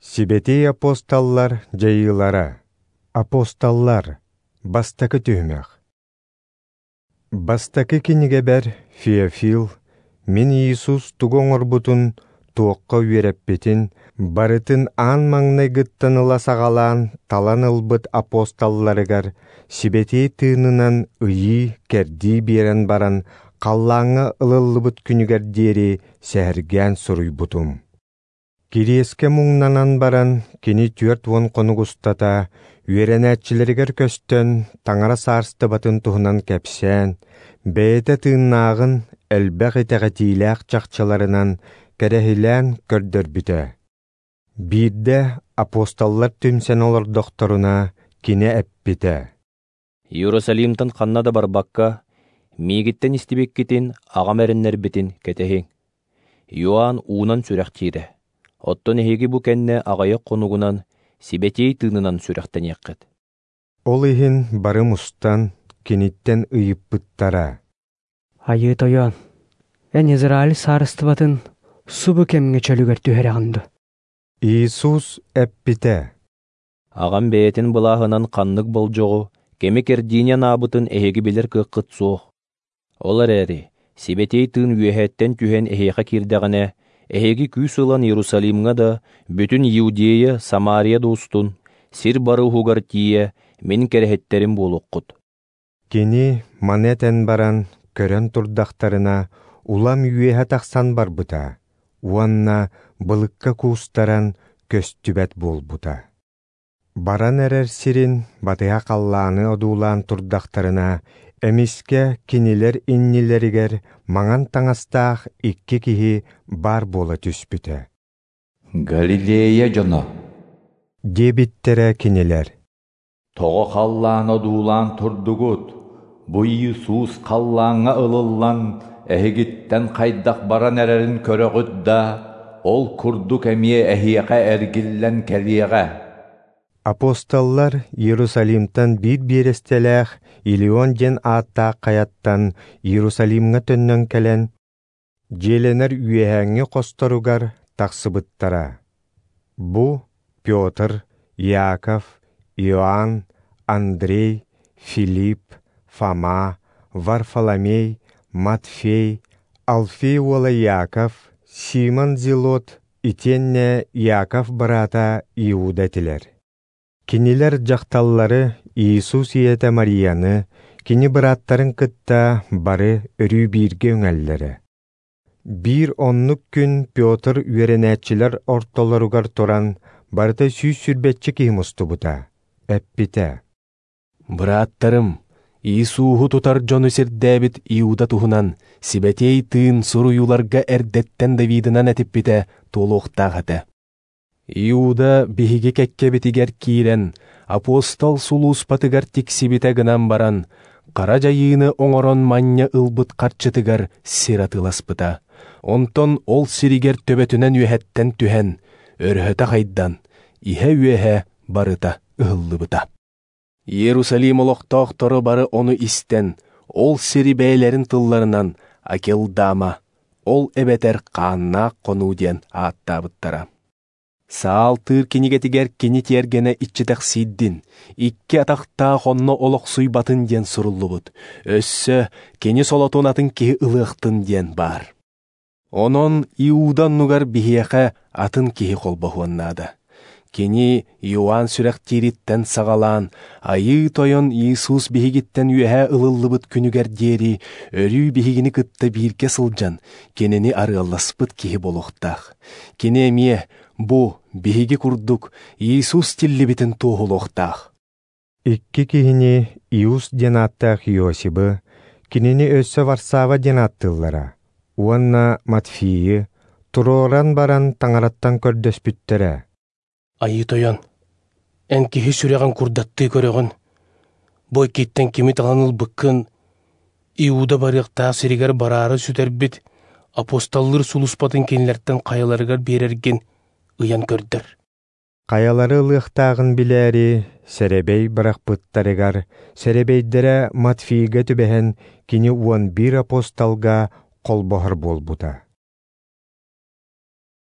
Сибэтиэй апостоллар дьайыылара. Апостоллар. Бастакы түһүмэх. Бастакы кинигэбэр Феофил мин Иисус тугу оҥорбутун, туохха үөрэппитин, барытын аан маҥнайгыттан ыла саҕалаан талан ылбыт апостолларыгар Сибэтиэй Тыынынан ыйыы-кэрдии биэрэн баран халлааҥҥа ылыллыбыт күнүгэр диэри сэһэргээн суруйбутум. Кириэскэ муҥнанан баран, кини 40 хонук устата үөрэнээччилэригэр көстөн, Таҥара саарыстыбатын туһунан кэпсээн, бэйэтэ тыыннааҕын элбэх итэҕэтиилээх чахчыларынан кэрэһилээн көрдөрбүтэ. Биирдэ апостоллар түмсэн олордохторуна, кини эппитэ: Иерусалимтан ханна да барбакка, миигиттэн истибиккитин, аҕам эрэннэрбитин кэтэһиҥ. Иоанн уунан сүрэхтиирэ. Оттон эһиги бу кэннэ аҕыйах хонугунан Сибэтиэй Тыынынан сүрэхтэниэххит. Ол иһин бары мустан, киниттэн ыйыппыттара: Айыы Тойон, эн Израиль саарыстыбатын субу кэмҥэ чөлүгэр түһэрэҕин дуо? Иисус эппитэ: Аҕам бэйэтин былааһынан ханнык болдьоҕу, кэми кэрдиини анаабытын эһиги билэр кыаххыт суох. Ол эрээри Сибэтиэй Тыын үөһэттэн түһэн эһиэхэ киирдэҕинэ, эһиги күүс ылан Иерусалимҥа да, бүтүн Иудея, Самария да устун, сир бары уһугар тиийэ мин кэрэһиттэрим буолуоххут. Кини маны этэн баран, көрөн турдахтарына, улам үөһэ тахсан барбыта уонна былыкка куустаран көстүбэт буолбута. Баран эрэр сирин батыһа халлааны одуулаан турдахтарына, эмискэ кинилэр иннилэригэр маҥан таҥастаах икки киһи баар буола түспүтэ. Галилея дьоно, диэбиттэрэ кинилэр. Тоҕо халлаан одуулаан турдугут? Бу Иисус халлааҥҥа ылыллан, эһигиттэн хайдах баран эрэрин көрөҕүт да, ол курдук эмиэ эһиэхэ эргиллэн кэлиэҕэ. Апостоллар Иерусалимтан биир биэрэстэлээх Илион диэн ааттаах хайаттан Иерусалимҥа төннөн кэлэн, дьиэлэнэр үөһээҥҥи хосторугар тахсыбыттара. Бу Петр, Иаков, Иоанн, Андрей, Филипп, Фома, Варфоломей, Матфей, Алфей уола Иаков, Симон Зелот, итиэннэ Иаков быраата Иуда этилэр. Кинилэр дьахталлары Иисус ийэтэ Марияны, кини бырааттарын кытта бары өрүү бииргэ үҥэллэрэ. Биир оннук күн Петр үөрэнээччилэр ортолоругар туран, барыта 120 киһи мустубута, эппитэ: Бырааттарым, Иисуһу тутар дьону сирдээбит Иуда туһунан Сибэтиэй Тыын суруйууларга эрдэттэн Давидынан этиппитэ туолуохтаах этэ. Иуда биһиги кэккэбитигэр киирэн, апостол сулууспатыгар тиксибитэ гынан баран, хара дьайыыны оҥорон манньа ылбыт харчытыгар сир атыыласпыта. Онтон ол сиригэр төбөтүнэн үөһэттэн түһэн, өрөһөтө хайдан, иһэ-үөһэ барыта ыһыллыбыта. Иерусалим олохтоохторо бары ону истэн, ол сири бэйэлэрин тылларынан Акелдама, ол эбэтэр хааннаах хонуу диэн ааттаабыттара. Саалтыыр кинигэтигэр кини тиэргэнэ иччитэхсийдин, икки атахтаах онно олохсуйбатын диэн суруллубут. Өссө кини солотун атын киһи ылыахтын диэн баар. Онон Иуда оннугар биһиэхэ атын киһи холбоһуоннаада. Кини Иоанн сүрэхтиириттэн саҕалаан, Айыы Тойон Иисус биһигиттэн үөһэ ылыллыбыт күнүгэр диэри өрүү биһигини кытта бииргэ сылдьан, кинини арыалласпыт киһи буолуохтаах. Кини эмиэ бу биһиги курдук Иисус тиллибитин туоһулуохтаах. Икки киһини Иус диэн ааттаах Иосибы, кинини өссө Варсава диэн ааттыыллара, уонна Матфийы туруоран баран таҥараттан көрдөспүттэрэ. Айыы Тойон, эн киһи сүрэҕин курдаттыы көрөҕүн, бу иккиттэн кими талан ылбыккын, Иуда барыахтаах сиригэр бараары сүтэрбит апостоллар сулууспатын кинилэртэн хайаларыгар биэрэргин ыйан көрдөр. Хайалары ылыахтааҕын билээри, сэрэбэй бырахпыттарыгар, сэрэбэйдэрэ Матфийга түбэһэн, кини 11 апостолга холбоһор буолбута.